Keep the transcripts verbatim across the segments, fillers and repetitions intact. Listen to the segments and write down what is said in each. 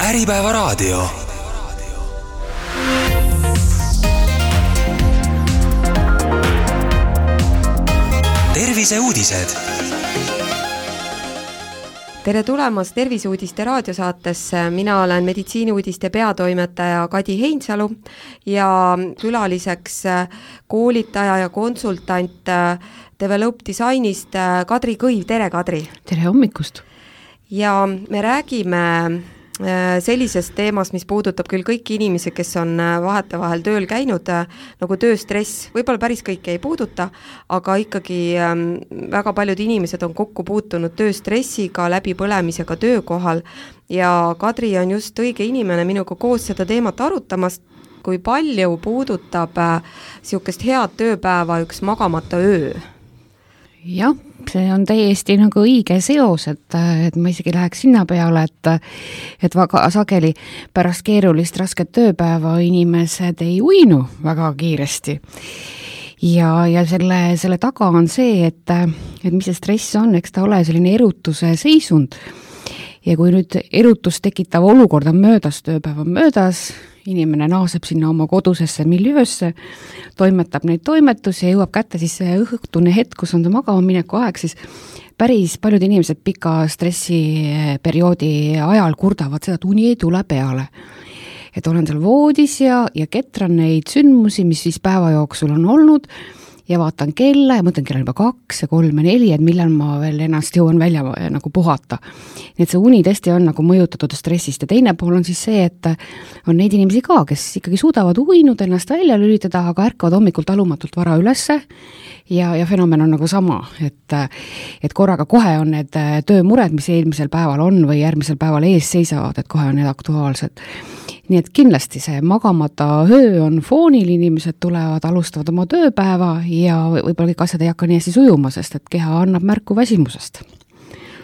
Äripäeva raadio. Terviseuudised. Tere tulemast Terviseuudiste raadiosaatesse. Mina olen meditsiiniuudiste peatoimetaja Kadi Heinsalu ja külaliseks koolitaja ja konsultant Develop Designist Kadri Kõiv. Tere, Kadri! Tere hommikust! Ja me räägime sellisest teemast, mis puudutab küll kõiki inimesi, kes on vahetevahel tööl käinud, nagu tööstress. Võib-olla päris kõiki ei puuduta, aga ikkagi väga paljud inimesed on kokku puutunud tööstressiga, läbipõlemisega töökohal ja Kadri on just õige inimene minuga koos seda teemat arutamast, kui palju puudutab niisugust head tööpäeva üks magamata öö. Jah, see on täiesti nagu õige seos, et, et ma isegi läheks sinna peale, et, et väga sageli pärast keerulist rasket tööpäeva inimesed ei uinu väga kiiresti. Ja, ja selle, selle taga on see, et, et mis see stress on, eks ta ole selline erutuse seisund. Ja kui nüüd erutus tekitav olukord on möödas, tööpäev on möödas, inimene naaseb sinna oma kodusesse miljöösse, toimetab neid toimetusi ja jõuab kätte siis see õhtune hetk, kus on ta magama mineku aeg, siis päris paljud inimesed pika stressiperioodi ajal kurdavad seda, et uni ei tule peale. Et olen seal voodis ja, ja ketran neid sündmusi, mis siis päeva jooksul on olnud ja vaatan kella ja mõtlen, kell on juba kaks ja kolm ja neli, et millal ma veel ennast jõuan välja nagu puhata. Nii et see uni tõesti on nagu mõjutatud stressist ja teine pool on siis see, et on neid inimesi ka, kes ikkagi suudavad uinud ennast välja lülitada, aga ärkavad hommikul talumatult vara ülesse ja, ja fenomen on nagu sama, et, et korraga kohe on need töömured, mis eelmisel päeval on või järgmisel päeval ees seisavad, et kohe on need aktuaalsed. Nii et kindlasti see magamata öö on foonil, inimesed tulevad, alustavad oma tööpäeva ja võib-olla kõik asjad ei hakka nii hästi sujuma, sest et keha annab märku väsimusest.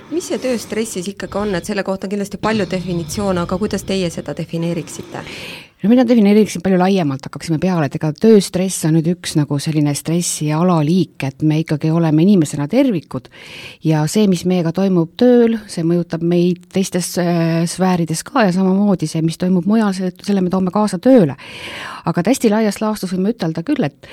Mis see tööstressis ikkagi on, et selle kohta on kindlasti palju definitsioone, aga kuidas teie seda defineeriksite? No mina defineeriksin palju laiemalt, hakkaksime peale, et ega tööstress on nüüd üks nagu selline stressi alaliik, et me ikkagi oleme inimesena tervikud ja see, mis meiega toimub tööl, see mõjutab meid teistes sfäärides ka ja samamoodi see, mis toimub mujal, selle me toome kaasa tööle. Aga hästi laias laastus võime ütelda küll, et,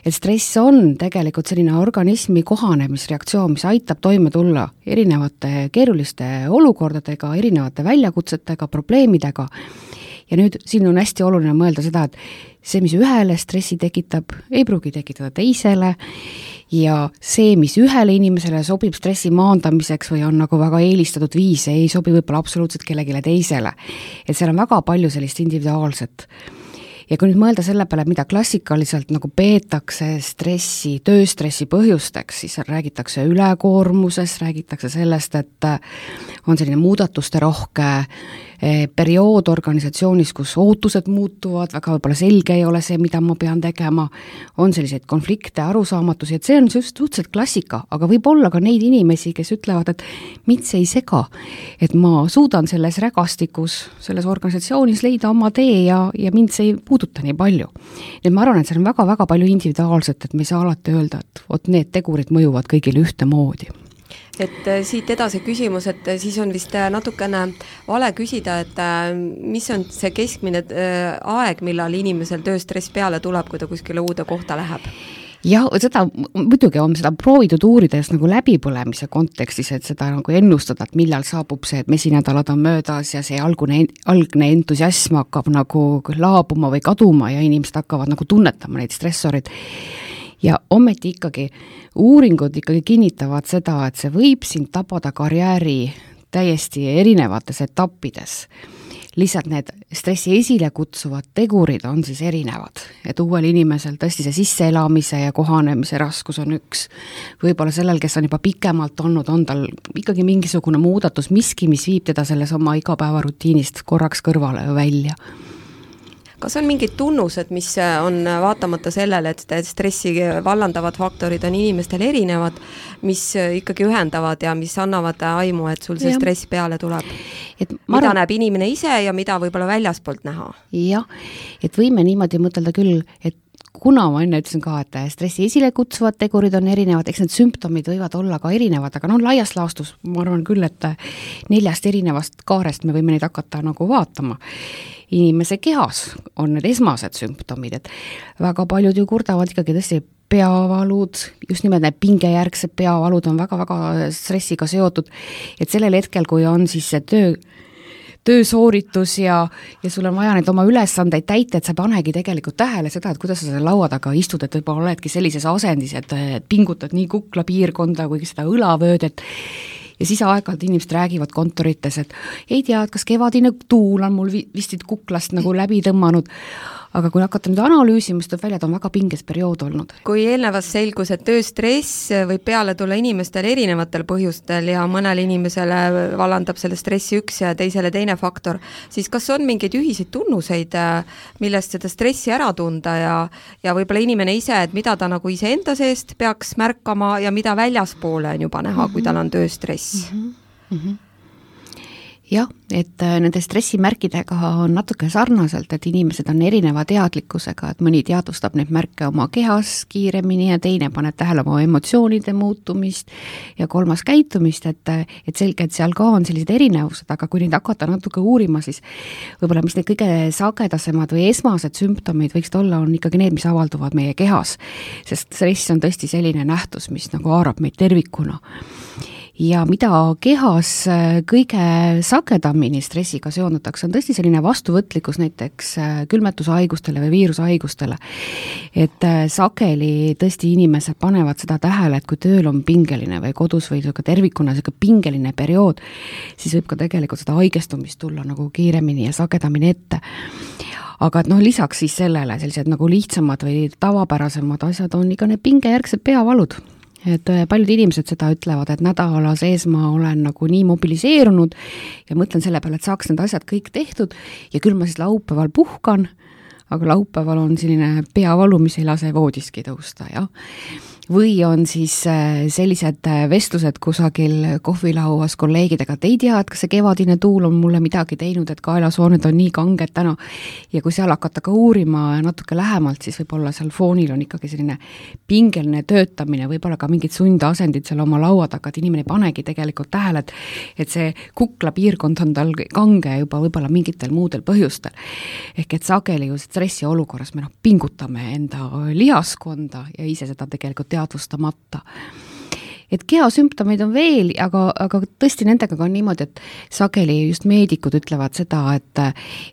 et stress on tegelikult selline organismi kohanemisreaktsioon, mis aitab toime tulla erinevate keeruliste olukordadega, erinevate väljakutsetega, probleemidega. Ja nüüd siin on hästi oluline mõelda seda, et see, mis ühele stressi tekitab, ei pruugi tekitada teisele ja see, mis ühele inimesele sobib stressi maandamiseks või on nagu väga eelistatud viis, ei sobi võib-olla absoluutselt kellegile teisele. Et seal on väga palju sellist individuaalset. Ja kui nüüd mõelda selle peale, mida klassikaliselt nagu peetakse stressi, tööstressi põhjusteks, siis räägitakse ülekoormuses, räägitakse sellest, et on selline muudatuste rohke periood organisatsioonis, kus ootused muutuvad, väga võib-olla selge ei ole see, mida ma pean tegema, on selliseid konflikte, arusaamatusi, et see on just suhteliselt klassika, aga võib olla ka neid inimesi, kes ütlevad, et mind see ei sega, et ma suudan selles rägastikus, selles organisatsioonis leida oma tee ja, ja mind see ei puuduta nii palju. Nii ma arvan, et see on väga-väga palju individuaalset, et me ei saa alati öelda, et ot need tegurid mõjuvad kõigile ühte moodi. Et siit edasi küsimus, et siis on vist natukene vale küsida, et mis on see keskmine aeg, millal inimesel tööstress peale tuleb, kui ta kuskile uude kohta läheb? Jah, seda muidugi on seda proovitud uurida just nagu läbipõlemise kontekstis, et seda nagu ennustada, et millal saabub see, et mesinädalad on möödas ja see algne, algne entusiasm hakkab nagu laabuma või kaduma ja inimesed hakkavad nagu tunnetama neid stressorid. Ja ometi ikkagi uuringud ikkagi kinnitavad seda, et see võib sind tabada karjääri täiesti erinevates etappides. Lihtsalt need stressi esile kutsuvad tegurid on siis erinevad. Et uuel inimesel tõesti see sisseelamise ja kohanemise raskus on üks. Võib-olla sellel, kes on juba pikemalt olnud, on tal ikkagi mingisugune muudatus, miski, mis viib teda selles oma igapäevarutiinist korraks kõrvale välja. Kas on mingid tunnused, mis on vaatamata sellele, et stressi vallandavad faktorid on inimestel erinevad, mis ikkagi ühendavad ja mis annavad aimu, et sul see ja. stress peale tuleb? Et mida arvan... näeb inimene ise ja mida võib-olla väljaspoolt näha? Jah, et võime niimoodi mõtelda küll, et kuna ma enne ütlesin ka, et stressi esile kutsuvad tegurid on erinevad, eks need sümptomid võivad olla ka erinevad, aga no laias laastus ma arvan küll, et neljast erinevast kaarest me võime neid hakata nagu vaatama. Inimese kehas on need esmased sümptomid, et väga paljud ju kurdavad ikkagi tõesti peavalud, just nimelt need pingejärgsed peavalud on väga-väga stressiga seotud, et sellel hetkel, kui on siis see töö töösooritus ja, ja sul on vaja neid oma ülesandeid täita, et sa panegi tegelikult tähele seda, et kuidas sa selle laua taga istud, et võib-olla oledki sellises asendis, et, et pingutad nii kukla piirkonda kui seda õlavöödet ja siis aeg-ajalt inimesed räägivad kontorites, et ei tea, et kas kevadine tuul on mul vist kuklast nagu läbi tõmmanud, aga kui hakata nüüd analüüsima, siis tuleb välja, et on väga pinges periood olnud. Kui eelnevas selgus, et tööstress võib peale tulla inimestel erinevatel põhjustel ja mõnele inimesele vallandab selle stressi üks ja teisele teine faktor, siis kas on mingeid ühiseid tunnuseid, millest seda stressi ära tunda ja, ja võib-olla inimene ise, et mida ta nagu iseenda seest peaks märkama ja mida väljaspoole on juba näha, kui tal on tööstress? Mm-hmm. Mm-hmm. Jah, et nende stressimärkidega on natuke sarnaselt, et inimesed on erineva teadlikkusega, et mõni teadvustab neid märke oma kehas kiiremini ja teine paneb tähele oma emotsioonide muutumist ja kolmas käitumist, et, et selge, et seal ka on sellised erinevused, aga kui neid hakata natuke uurima, siis võib-olla mis need kõige sagedasemad või esmased sümptomid võiksid olla, on ikkagi need, mis avalduvad meie kehas, sest stress on tõesti selline nähtus, mis nagu haarab meid tervikuna. Ja mida kehas kõige sagedamini stressiga seondatakse, on tõesti selline vastuvõtlikkus näiteks külmetushaigustele või viirushaigustele. Et sageli tõesti inimesed panevad seda tähele, et kui tööl on pingeline või kodus või tervikuna pingeline periood, siis võib ka tegelikult seda haigestumist tulla nagu kiiremini ja sagedamini ette. Aga et noh, lisaks siis sellele sellised nagu lihtsamad või tavapärasemad asjad on ikka need pingejärgsed peavalud. Et paljud inimesed seda ütlevad, et nädala sees ma olen nagu nii mobiliseerunud ja mõtlen selle peale, et saaks need asjad kõik tehtud ja küll ma siis laupäeval puhkan, aga laupäeval on selline peavalu, mis ei lase voodiski tõusta, jah. Või on siis sellised vestlused kusagil kohvilauas kolleegidega, et ei tea, et kas see kevadine tuul on mulle midagi teinud, et kaelasooned on nii kanged täna ja kui seal hakata ka uurima natuke lähemalt, siis võib-olla seal foonil on ikkagi selline pingeline töötamine, võib-olla ka mingid sundasendid seal oma laua taga, et inimene ei panegi tegelikult tähele, et, et see kukla piirkond on tal kange juba võib-olla mingitel muudel põhjustel. Ehk et sageli ju stressi olukorras me noh, pingutame enda lihaskonda ja ise seda tegelikult teadvustamata. Et kehasümptomeid on veel, aga, aga tõesti nendega on niimoodi, et sageli just meedikud ütlevad seda, et,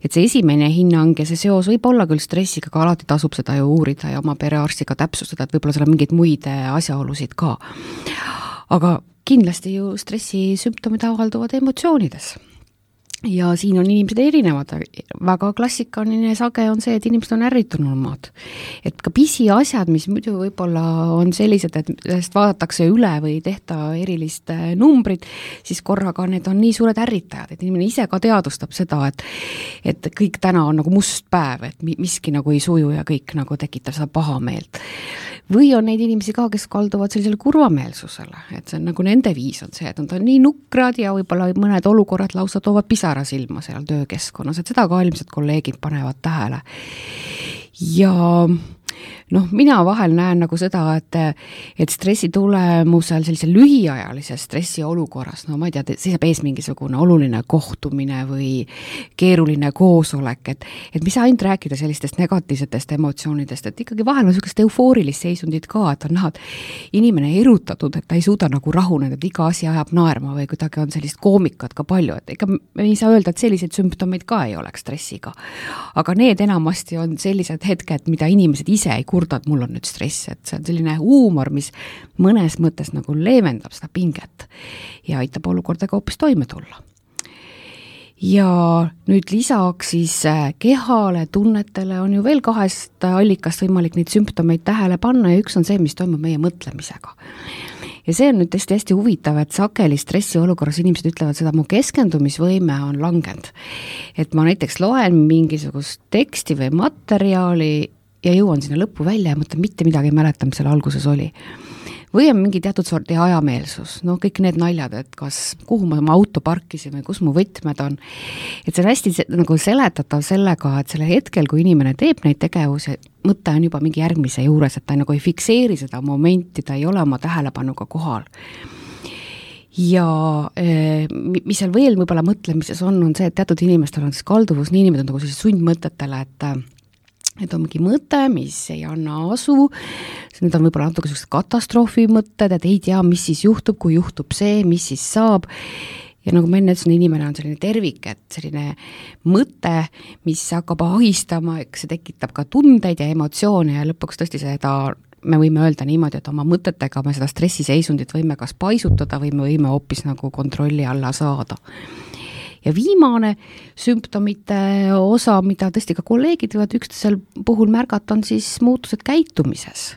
et see esimene hinnang ja see seos võib olla küll stressiga, aga alati tasub seda ju uurida ja oma perearstiga täpsustada, et võib-olla seal on mingeid muid asjaolusid ka. Aga kindlasti ju stressisümptomid avalduvad emotsioonides. Ja siin on inimesed erinevad, väga klassikaline sage on see, et inimesed on ärritunumad. Et ka pisi asjad, mis muidu võib-olla on sellised, et sellest vaadatakse üle või tehta erilist numbrit, siis korraga need on nii suured ärritajad, et inimene ise ka teadvustab seda, et, et kõik täna on nagu must päev, et miski nagu ei suju ja kõik nagu tekitab seda pahameelt. Või on neid inimesi ka, kes kalduvad sellisele kurvameelsusele, et see on nagu nende viis on see, et nad on nii nukrad ja võib-olla mõned olukorrad lausa toovad pisara silma seal töökeskkonnas, et seda ka ilmselt kolleegid panevad tähele. Ja noh, mina vahel näen nagu seda, et, et stressi tulemusel sellise lühiajalise stressi olukorras, no ma ei tea, seisab ees mingisugune oluline kohtumine või keeruline koosolek, et, et mis ainult rääkida sellistest negatiivsetest emotsioonidest, et ikkagi vahel on sellist eufoorilist seisundit ka, et on näha, et inimene erutatud, et ta ei suuda nagu rahuneda, et iga asi ajab naerma või kuidagi on sellist koomikat ka palju, et ega me ei saa öelda, et selliseid sümptomeid ka ei oleks stressiga. Aga need enamasti on sellised hetked, mida inimesed ise ei kurda, et mul on nüüd stress, et see on selline huumor, mis mõnes mõttes nagu leevendab seda pinget ja aitab olukordaga hoopis toime tulla. Ja nüüd lisaks siis kehale, tunnetele on ju veel kahest allikast võimalik neid sümptomeid tähele panna ja üks on see, mis toimub meie mõtlemisega. Ja see on nüüd tõesti hästi huvitav, et sageli stressi olukorras inimesed ütlevad seda, mu keskendumisvõime on langenud. Et ma näiteks loen mingisugust teksti või materjali ja jõuan sinna lõppu välja ja mõtlen, mitte midagi ei mäleta, mis seal alguses oli. või on mingi teatud sorti ajameelsus, noh kõik need naljad, et kas, kuhu ma oma auto parkisin või kus mu võtmed on, et see on hästi nagu seletatav sellega, et sellel hetkel, kui inimene teeb neid tegevusi, mõte on juba mingi järgmise juures, et ta nagu ei fikseeri seda momenti, ta ei ole oma tähelepanuga kohal. Ja mis seal veel võib-olla mõtlemises on, on see, et teatud inimestel on siis kalduvus niinimetatud nagu sellised sundmõtetele, et et on mingi mõte, mis ei anna asu, need on võib-olla natuke sellised katastroofi mõtted, et ei tea, mis siis juhtub, kui juhtub see, mis siis saab. Ja nagu ma enne ütlesin, inimene on selline tervik, et selline mõte, mis hakkab ahistama, eks see tekitab ka tundeid ja emotsioone ja lõpuks tõesti seda, me võime öelda niimoodi, et oma mõtetega me seda stressiseisundit võime kas paisutada või me võime hoopis nagu kontrolli alla saada. Ja viimane sümptomite osa, mida tõesti ka kolleegid võivad üksteisel puhul märgata, on siis muutused käitumises.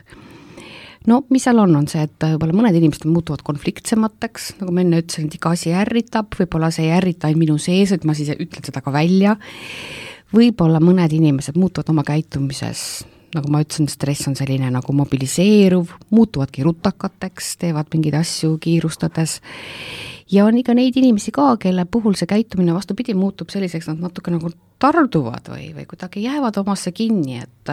No mis seal on, on see, et võib-olla mõned inimesed muutuvad konfliktsemateks, nagu ma enne ütlesin, et iga asi ärritab, võib-olla see ei ärrita ainult minu sees, et ma siis ütlen seda ka välja. Võib-olla mõned inimesed muutuvad oma käitumises, nagu ma ütlesin, stress on selline nagu mobiliseeruv, muutuvadki rutakateks, teevad mingeid asju kiirustades. Ja on ikka neid inimesi ka, kelle puhul see käitumine vastupidi muutub selliseks, nad natuke nagu tarduvad või, või kuidagi jäävad omasse kinni, et,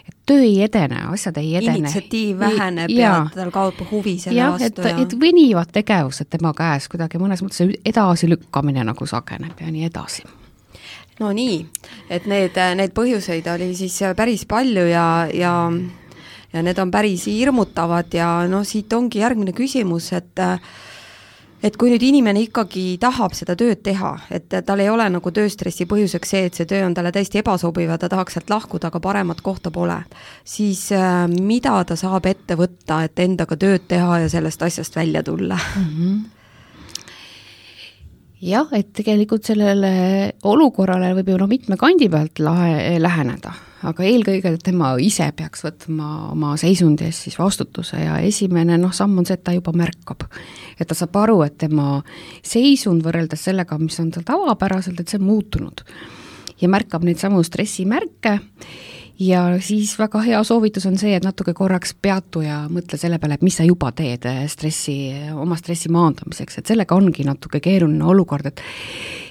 et töö ei edene, asjad ei edene. Initsiatiiv väheneb ja, ja tal kaob huvi selle ja, vastu. Et, ja et võnivad tegevused tema käes, kuidagi mõnes mõttes edasi lükkamine nagu sageneb ja nii edasi. No nii, et need, need põhjuseid oli siis päris palju ja, ja, ja need on päris hirmutavad ja no siit ongi järgmine küsimus, et et kui nüüd inimene ikkagi tahab seda tööd teha, et tal ei ole nagu tööstressi põhjuseks see, et see töö on talle täiesti ebasobiv ja ta tahaks sealt lahkuda, aga paremat kohta pole, siis mida ta saab ette võtta, et endaga tööd teha ja sellest asjast välja tulla? Mm-hmm. Jah, et tegelikult sellele olukorrale võib ju no mitme kandi pealt lahe, läheneda, aga eelkõige tema ise peaks võtma oma seisundi eest siis vastutuse ja esimene noh, samm on see, et ta juba märkab, et ta saab aru, et tema seisund võrreldes sellega, mis on tal tavapäraselt, et see on muutunud ja märkab neid samu stressimärke. Ja siis väga hea soovitus on see, et natuke korraks peatu ja mõtle selle peale, et mis sa juba teed stressi, oma stressi maandamiseks, et sellega ongi natuke keeruline olukord, et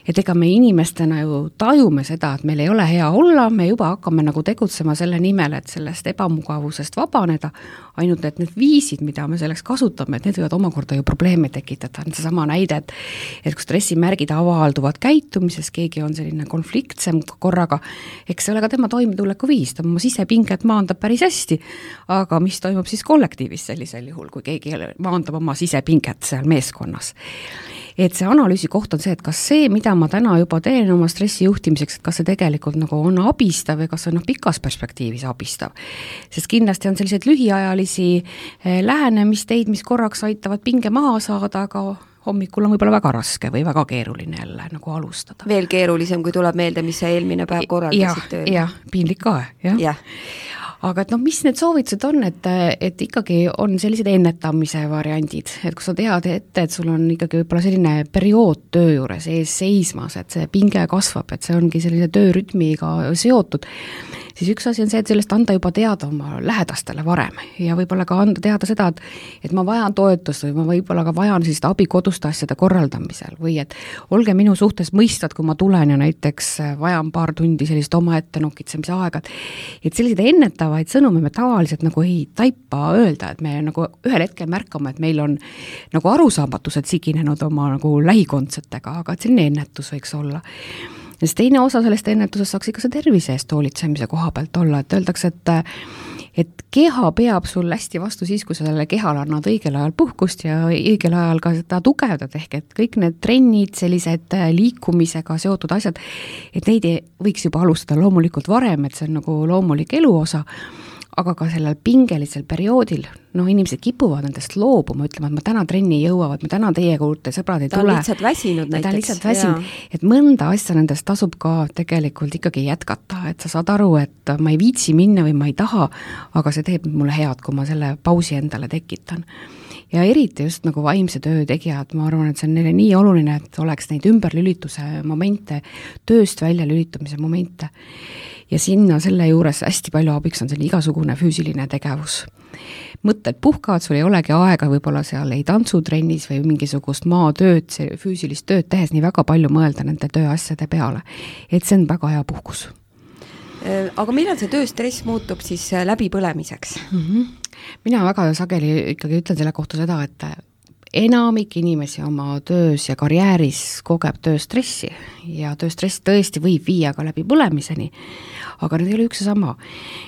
et ega me inimestena ju tajume seda, et meil ei ole hea olla, me juba hakkame nagu tegutsema selle nimel, et sellest ebamugavusest vabaneda, ainult et need viisid, mida me selleks kasutame, et need võivad omakorda ju probleeme tekitada, on see sama näide, et, et kui stressimärgid avalduvad käitumises, keegi on selline konfliktsem korraga, eks see ole ka tema toimetuleku viis, ta oma sisepinget maandab päris hästi, aga mis toimub siis kollektiivis sellisel juhul, kui keegi maandab oma sisepinget seal meeskonnas. Et see analüüsi koht on see, et kas see, mida ma täna juba teen oma stressi juhtimiseks, et kas see tegelikult nagu on abistav või kas see on noh, pikas perspektiivis abistav. Sest kindlasti on sellised lühiajalisi lähenemisteid, mis korraks aitavad pinge maha saada, aga hommikul on võib-olla väga raske või väga keeruline jälle nagu alustada. Veel keerulisem, kui tuleb meelde, mis sa eelmine päev korraldasid tööl. Jah, piinlik ka, jah. Ja. Aga et noh, mis need soovitused on, et, et ikkagi on sellised ennetamise variandid, et kui sa tead ette, et sul on ikkagi võib-olla selline periood töö juures ees seismas, et see pinge kasvab, et see ongi sellise töörütmiga seotud, siis üks asi on see, et sellest anda juba teada oma lähedastele varem ja võib-olla ka anda teada seda, et, et ma vajan toetust või ma võib-olla ka vajan sellist abi koduste asjade korraldamisel või et olge minu suhtes mõistvad, kui ma tulen ja näiteks vajan paar tundi sellist oma ette nokitsemise aega, et sellised ennetavaid sõnumi me tavaliselt nagu ei taipa öelda, et me nagu ühel hetkel märkame, et meil on nagu arusaamatused siginenud oma nagu lähikondsetega, aga et selline ennetus võiks olla. Ja siis teine osa sellest ennetusest saaks ikka see tervise eest hoolitsemise koha pealt olla, et öeldakse, et, et keha peab sul hästi vastu siis, kui sa selle kehale annad õigel ajal puhkust ja õigel ajal ka seda tugevdad, ehk et kõik need trennid, sellised liikumisega seotud asjad, et neid võiks juba alustada loomulikult varem, et see on nagu loomulik eluosa, aga ka sellel pingelisel perioodil, noh, inimesed kipuvad nendest loobuma, ütlema, et ma täna trenni ei jõua, et ma täna teie juurde sõbrad ei ta tule. Ta on lihtsalt väsinud näiteks. Ta on lihtsalt väsinud, et mõnda asja nendest tasub ka tegelikult ikkagi jätkata, et sa saad aru, et ma ei viitsi minna või ma ei taha, aga see teeb mulle head, kui ma selle pausi endale tekitan. Ja eriti just nagu vaimse töö tegijad, ma arvan, et see on neile nii oluline, et oleks neid ümberlülituse momente, tööst välja lülitumise momente. Ja sinna selle juures hästi palju abiks on selle igasugune füüsiline tegevus. mõtted puhkavad, sul ei olegi aega võib-olla seal ei tantsutrennis või mingisugust maatööd, füüsilist tööd tehes nii väga palju mõelda nende tööasjade peale. Et see on väga hea puhkus. Aga millal see tööstress muutub siis läbipõlemiseks? Mm-hmm. Mina väga sageli ikkagi ütlen selle kohta seda, et enamik inimesi oma töös ja karjääris kogeb tööstressi ja tööstress tõesti võib viia ka läbi põlemiseni, aga need ei ole üks ja sama.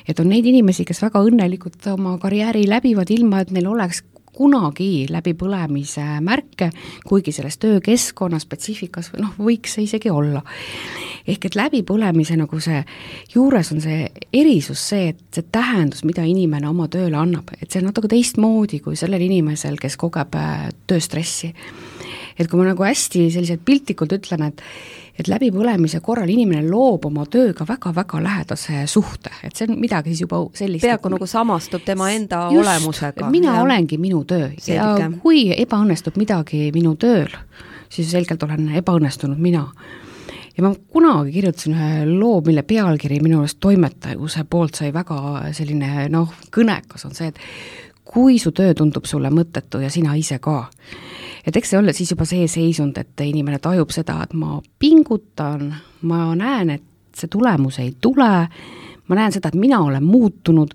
Et on neid inimesi, kes väga õnnelikult oma karjääri läbivad ilma, et neil oleks kunagi läbi põlemise märke, kuigi selles töökeskkonna spetsiifikas noh, võiks see isegi olla. Ehk et läbi põlemise nagu see juures on see erisus see, et see tähendus, mida inimene oma tööle annab, et see on natuke teistmoodi kui sellel inimesel, kes kogeb tööstressi. Et kui ma nagu hästi selliselt piltlikult ütlen, et et läbi põlemise korral inimene loob oma tööga väga-väga lähedase suhte, et see on midagi siis juba sellist. Peaaegu nagu samastub tema enda just, olemusega. Mina ja. Olengi minu töö selge. Ja kui ebaõnnestub midagi minu tööl, siis selgelt olen ebaõnnestunud mina. Ja ma kunagi kirjutasin ühe loo, mille pealkiri minu arust toimetajuse poolt sai väga selline noh, kõnekas on see, et kui su töö tundub sulle mõttetu ja sina ise ka. Et eks see ole siis juba see seisund, et inimene tajub seda, et ma pingutan, ma näen, et see tulemus ei tule, ma näen seda, et mina olen muutunud,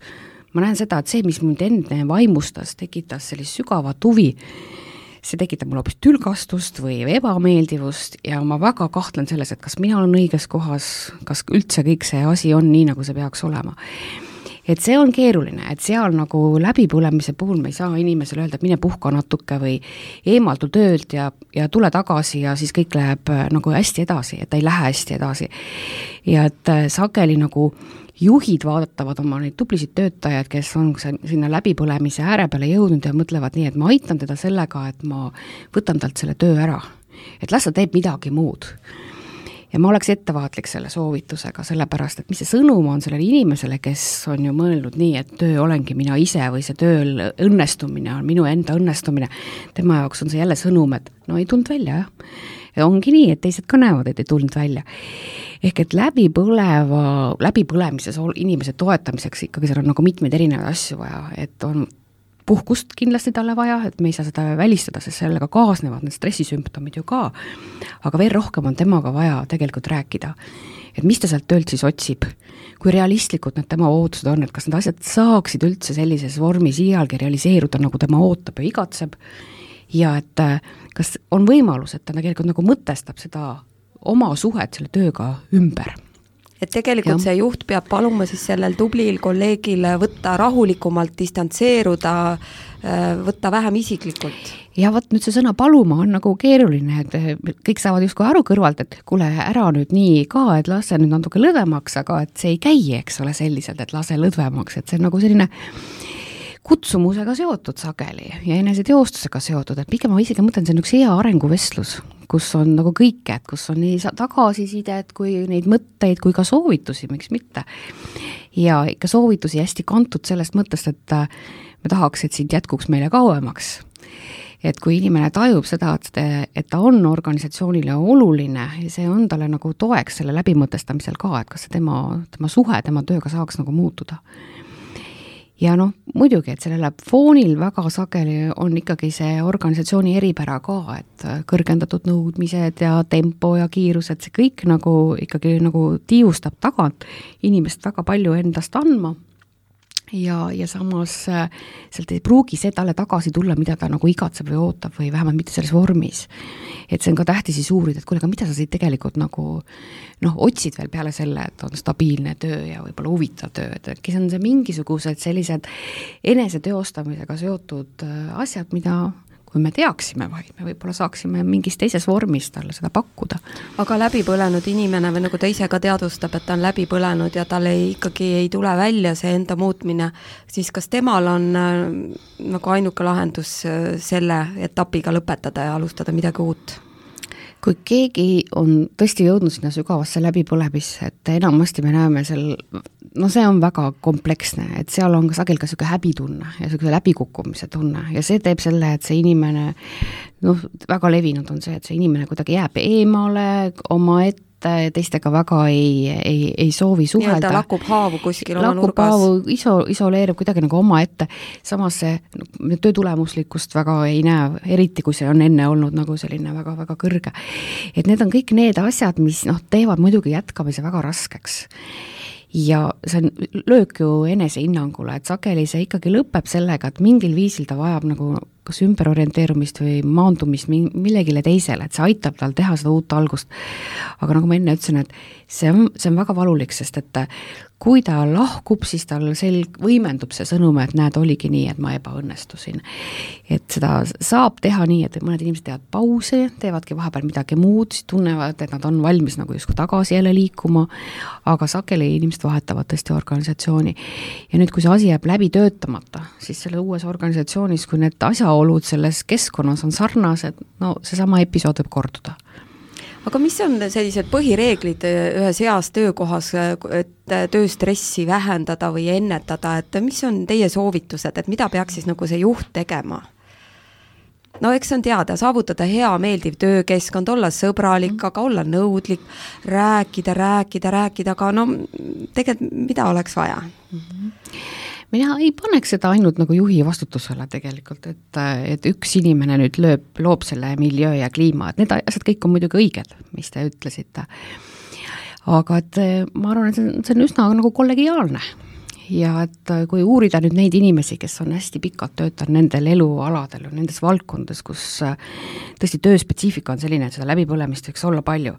ma näen seda, et see, mis mind enne vaimustas, tekitas sellist sügavat huvi, see tekitab mul hoopis tülgastust või ebameeldivust ja ma väga kahtlen selles, et kas mina olen õiges kohas, kas üldse kõik see asi on nii, nagu see peaks olema. Et see on keeruline, et seal nagu läbipõlemise puhul me ei saa inimesele öelda, et mine puhka natuke või eemaldu töölt ja, ja tule tagasi ja siis kõik läheb nagu hästi edasi, et ta ei lähe hästi edasi. Ja et sageli nagu juhid vaadatavad oma neid tublisid töötajaid, kes on sinna läbipõlemise ääre peale jõudnud ja mõtlevad nii, et ma aitan teda sellega, et ma võtan talt selle töö ära. Et las ta teeb midagi muud. Ja ma oleks ettevaatlik selle soovitusega, sellepärast, et mis see sõnum on sellele inimesele, kes on ju mõelnud nii, et töö olengi mina ise või see tööl õnnestumine on minu enda õnnestumine. Tema jaoks on see jälle sõnum, et no ei tulnud välja, jah. Ja ongi nii, et teised ka näevad, et ei tulnud välja. Ehk et läbi põleva, läbi põlemises inimese toetamiseks ikkagi seal on nagu mitmeid erinevaid asju vaja, et on puhkust kindlasti talle vaja, et me ei saa seda välistada, sest sellega kaasnevad need stressisümptomid ju ka, aga veel rohkem on temaga vaja tegelikult rääkida, et mis ta sealt töölt siis otsib, kui realistlikud need tema ootused on, et kas need asjad saaksid üldse sellises vormis iialgi realiseeruda, nagu tema ootab ja igatseb, ja et kas on võimalus, et ta tegelikult nagu mõtestab seda oma suhet selle tööga ümber. Et tegelikult ja. See juht peab paluma siis sellel tublil kolleegil võtta rahulikumalt, distantseeruda, võtta vähem isiklikult. Ja võt nüüd see sõna paluma on nagu keeruline, et kõik saavad justkui aru kõrvalt, et kuule ära nüüd nii ka, et lase nüüd natuke lõdvemaks, aga et see ei käi, eks ole selliselt, et lase lõdvemaks, et see on nagu selline kutsumusega seotud sageli ja eneseteostusega seotud, et pigem ma isegi mõtlen, see on üks hea arenguvestlus, kus on nagu kõike, et kus on nii tagasisidet kui neid mõtteid, kui ka soovitusi, miks mitte. Ja ikka soovitusi hästi kantud sellest mõttest, et me tahaks, et sind jätkuks meile kauemaks. Et kui inimene tajub seda, et ta on organisatsioonile oluline ja see on talle nagu toeks selle läbimõtestamisel ka, et kas see tema, tema suhe tema tööga saaks nagu muutuda. Ja noh, muidugi, et sellele foonil väga sageli on ikkagi see organisatsiooni eripära ka, et kõrgendatud nõudmised ja tempo ja kiirused, see kõik nagu ikkagi nagu tiiustab tagant inimest väga palju endast andma. Ja, ja samas sealt ei pruugi see talle tagasi tulla, mida ta nagu igatseb või ootab või vähemalt mitte selles vormis. Et see on ka tähtis siis uurida, et kuule, aga mida sa siit tegelikult nagu noh, otsid veel peale selle, et on stabiilne töö ja võib-olla huvitav töö, et äkki see on see mingisugused sellised eneseteostamisega seotud asjad, mida kui me teaksime vaid, me võib-olla saaksime mingis teises vormis talle seda pakkuda. Aga läbi põlenud inimene või nagu ta ise ka teadvustab, et ta on läbi põlenud ja tal ei, ikkagi ei tule välja see enda muutmine, siis kas temal on äh, nagu ainuke lahendus äh, selle etapiga lõpetada ja alustada midagi uut? Kui keegi on tõesti jõudnud sinna sügavasse läbipõlemisse, et enamasti me näeme seal, no see on väga kompleksne, et seal on ka sagel ka selline häbitunne ja selline läbikukkumise tunne ja see teeb selle, et see inimene, noh, väga levinud on see, et see inimene kuidagi jääb eemale oma ette teistega väga ei, ei, ei soovi suhelda. Nii-öelda lakub haavu kuskil oma lakub nurgas. Lakub haavu, iso, isoleerib kuidagi nagu oma ette. Samas see no, töötulemuslikkust väga ei näe, eriti kui see on enne olnud nagu selline väga, väga kõrge. Et need on kõik need asjad, mis noh, teevad muidugi jätkamise väga raskeks. Ja see on löök ju enese hinnangule, et sageli see ikkagi lõpeb sellega, et mingil viisil ta vajab nagu kas ümberorienteerumist või maandumist millegile teisele, et see aitab tal teha seda uut algust. Aga nagu ma enne ütlesin, et see on, see on väga valulik, sest et kui ta lahkub, siis tal selg võimendub see sõnum, et näed, oligi nii, et ma ebaõnnestusin. Et seda saab teha nii, et mõned inimesed teevad pause, teevadki vahepeal midagi muud, siis tunnevad, et nad on valmis nagu justkui tagasi jälle liikuma, aga sageli inimesed vahetavad tõesti organisatsiooni. Ja nüüd, kui see asi jääb läbi töötamata, siis selle uues organisatsioonis, kui need asjaolud selles keskkonnas on sarnased, no see sama episood võib korduda. Aga mis on sellised põhireeglid ühes heas töökohas, et tööstressi vähendada või ennetada, et mis on teie soovitused, et mida peaks siis nagu see juht tegema? No eks on teada, saavutada hea meeldiv töökeskkond, olla sõbralik, aga olla nõudlik, rääkida, rääkida, rääkida, aga no tegelikult mida oleks vaja? Mm-hmm. Mina ei paneks seda ainult nagu juhi vastutusele tegelikult, et, et üks inimene nüüd lööb, loob selle miljöö ja kliima, et need asjad kõik on muidugi õiged, mis te ütlesite. Aga et ma arvan, et see on, see on üsna nagu kollegiaalne. Ja et kui uurida nüüd neid inimesi, kes on hästi pikalt töötanud nendel elualadel, nendes valdkondades, kus tõesti tööspetsiifika on selline, et seda läbipõlemist võiks olla palju,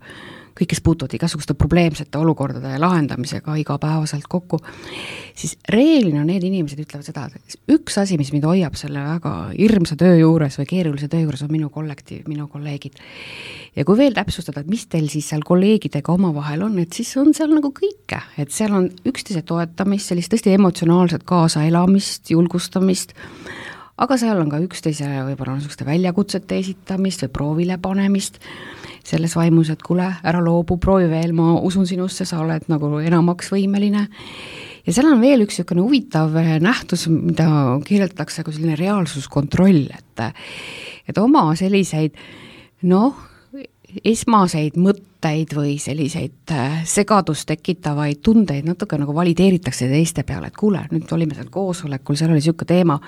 kõik, kes puutuvad igasuguste probleemsete olukordade lahendamisega igapäevaselt kokku, siis reeglina need inimesed ütlevad seda, et üks asi, mis mind hoiab selle väga hirmsa töö juures või keerulise töö juures on minu kollektiiv, minu kolleegid. Ja kui veel täpsustada, et mis teil siis seal kolleegidega omavahel on, et siis on seal nagu kõike, et seal on üksteise toetamist, sellist tõesti emotsionaalset kaasaelamist, julgustamist, aga seal on ka üksteise võib-olla niisuguste väljakutsete esitamist või proovile panemist, selles vaimus, et kuule, ära loobu, proovi veel, ma usun sinusse, sa oled nagu enamaks võimeline. Ja seal on veel üks niisugune huvitav nähtus, mida kirjeldatakse kui selline reaalsuskontroll, et, et oma selliseid, noh, esmaseid mõtteid või selliseid segadust tekitavaid tundeid natuke nagu valideeritakse teiste peale, et kuule, nüüd olime seal koosolekul, seal oli niisugune teema,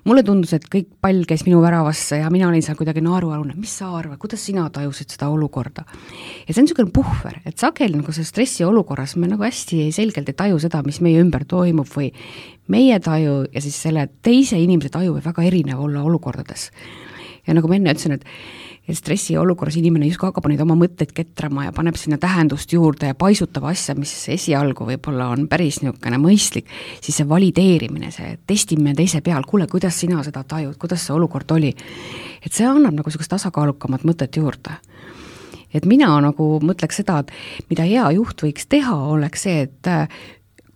mulle tundus, et kõik pall käis minu väravasse ja mina olin seal kuidagi naerualune, mis sa arvad, kuidas sina tajusid seda olukorda? Ja see on niisugune puhver, et sageli nagu see stressi olukorras me nagu hästi selgelt ei taju seda, mis meie ümber toimub või meie taju ja siis selle teise inimese taju võib väga erinev olla olukordades. Ja nagu ma enne ütlesin, et et stressi olukorras inimene justkui hakkab neid oma mõtteid ketrama ja paneb sinna tähendust juurde ja paisutab asja, mis esialgu võib-olla on päris niisugune mõistlik, siis see valideerimine, see testimine teise peal, kuule, kuidas sina seda tajud, kuidas see olukord oli, et see annab nagu niisugust tasakaalukamat mõtet juurde. Et mina nagu mõtleks seda, et mida hea juht võiks teha, oleks see, et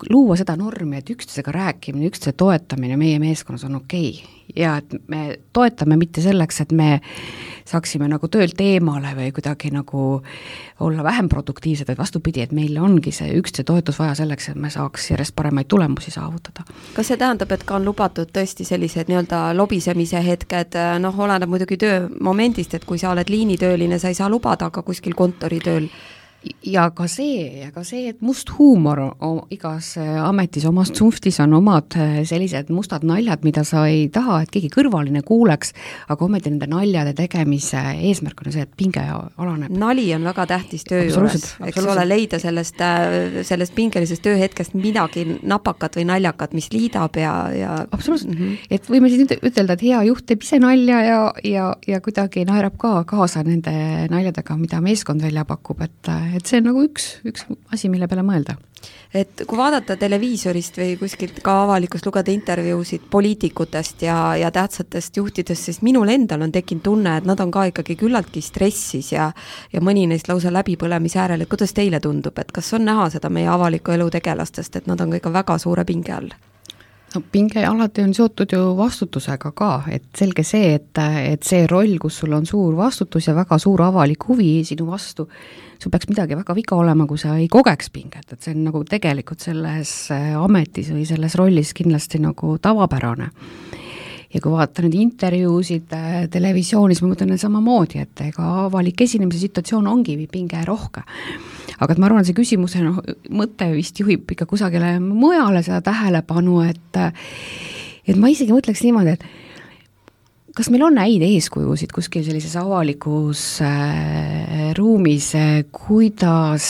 luua seda normi, et üksteisega rääkimine, üksteise toetamine meie meeskonnas on okei. Ja et me toetame mitte selleks, et me saaksime nagu töölt eemale või kuidagi nagu olla vähem produktiivsed, või vastupidi, et meil ongi see üksteise toetus vaja selleks, et me saaks järjest paremaid tulemusi saavutada. Kas see tähendab, et ka on lubatud tõesti sellised nii-öelda lobisemise hetked, noh, oleneb muidugi töö momendist, et kui sa oled liinitööline, sa ei saa lubada, aga kuskil kontoritööl ja ka see, ja ka see, et must huumor igas ametis omas tsunftis on omad sellised mustad naljad, mida sa ei taha, et keegi kõrvaline kuuleks, aga ometi nende naljade tegemise eesmärk on see, et pinge alaneb. Nali on väga tähtis töö juures, eks ole, leida sellest, sellest pingelisest tööhetkest midagi napakat või naljakat, mis liidab ja, ja... Absoluutselt, mm -hmm. et võime siis ütelda, et hea juht teeb ise nalja ja, ja, ja kuidagi naerab ka kaasa nende naljadega, mida meeskond välja pakub, et et see on nagu üks, üks asi, mille peale mõelda. Et kui vaadata televiisorist või kuskilt ka avalikust lugeda intervjuusid poliitikutest ja, ja tähtsatest juhtidest, siis minul endal on tekkinud tunne, et nad on ka ikkagi küllaltki stressis ja, ja mõni neist lausa läbipõlemise äärel, et kuidas teile tundub, et kas on näha seda meie avaliku elu tegelastest, et nad on ikka väga suure pinge all? No pinge alati on seotud ju vastutusega ka, et selge see, et, et see roll, kus sul on suur vastutus ja väga suur avalik huvi sinu vastu, sul peaks midagi väga viga olema, kui sa ei kogeks pinget, et see on nagu tegelikult selles ametis või selles rollis kindlasti nagu tavapärane. ja kui vaatan nüüd intervjuusid äh, televisioonis, ma mõtlen samamoodi, et ega avalik esinemise situatsioon ongi pinge rohke. Aga et ma arvan, see küsimuse no, mõte vist juhib ikka kusagile mujale seda tähelepanu, et, et ma isegi mõtleks niimoodi, et kas meil on häid eeskujusid kuskil sellises avalikus äh, ruumis, kuidas,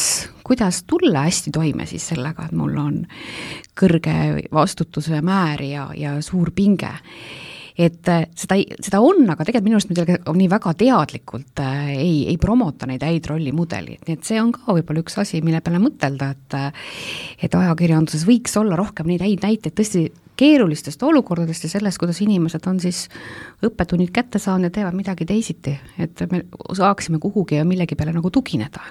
kuidas tulla hästi toime siis sellega, et mul on kõrge vastutuse määr ja, ja suur pinge. Et seda, seda on, aga tegelikult minu arust me on nii väga teadlikult äh, ei, ei promota neid häid rollimudelid, nii et see on ka võib-olla üks asi, mille peale mõtelda, et et ajakirjanduses võiks olla rohkem neid häid näiteid tõesti keerulistest olukordadest ja sellest, kuidas inimesed on siis õppetunnid kätte saanud ja teevad midagi teisiti, et me saaksime kuhugi ja millegi peale nagu tugineda.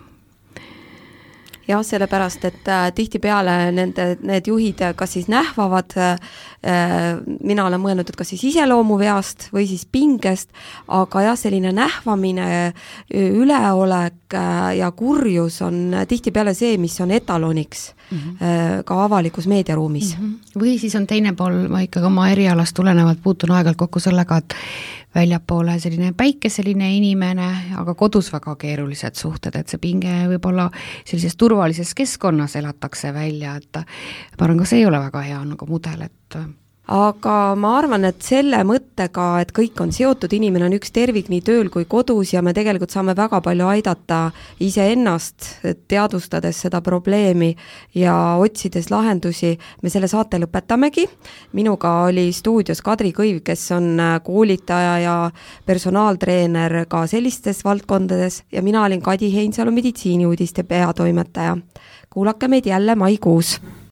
Jah, sellepärast, et äh, tihtipeale nende, need juhid kas siis nähvavad, äh, mina olen mõelnud, et kas siis iseloomuveast või siis pingest, aga jah, selline nähvamine, üleolek äh, ja kurjus on tihtipeale see, mis on etaloniks mm -hmm. äh, ka avalikus meediaruumis. Mm -hmm. Või siis on teine pool, ma ikkagi oma erialast tulenevalt puutun aegalt kokku sellega, et väljapoole selline päikeseline inimene, aga kodus väga keerulised suhted, et see pinge võib-olla sellises turvalises keskkonnas elatakse välja, et ma arvan, ka see ei ole väga hea nagu mudel, et aga ma arvan, et selle mõttega, et kõik on seotud, inimene on üks tervik nii tööl kui kodus ja me tegelikult saame väga palju aidata iseennast, teadvustades seda probleemi ja otsides lahendusi. Me selle saate lõpetamegi. Minuga oli stuudios Kadri Kõiv, kes on koolitaja ja personaaltreener ka sellistes valdkondades ja mina olin Kadi Heinsalu meditsiiniuudiste peatoimetaja. Kuulake meid jälle maikuus.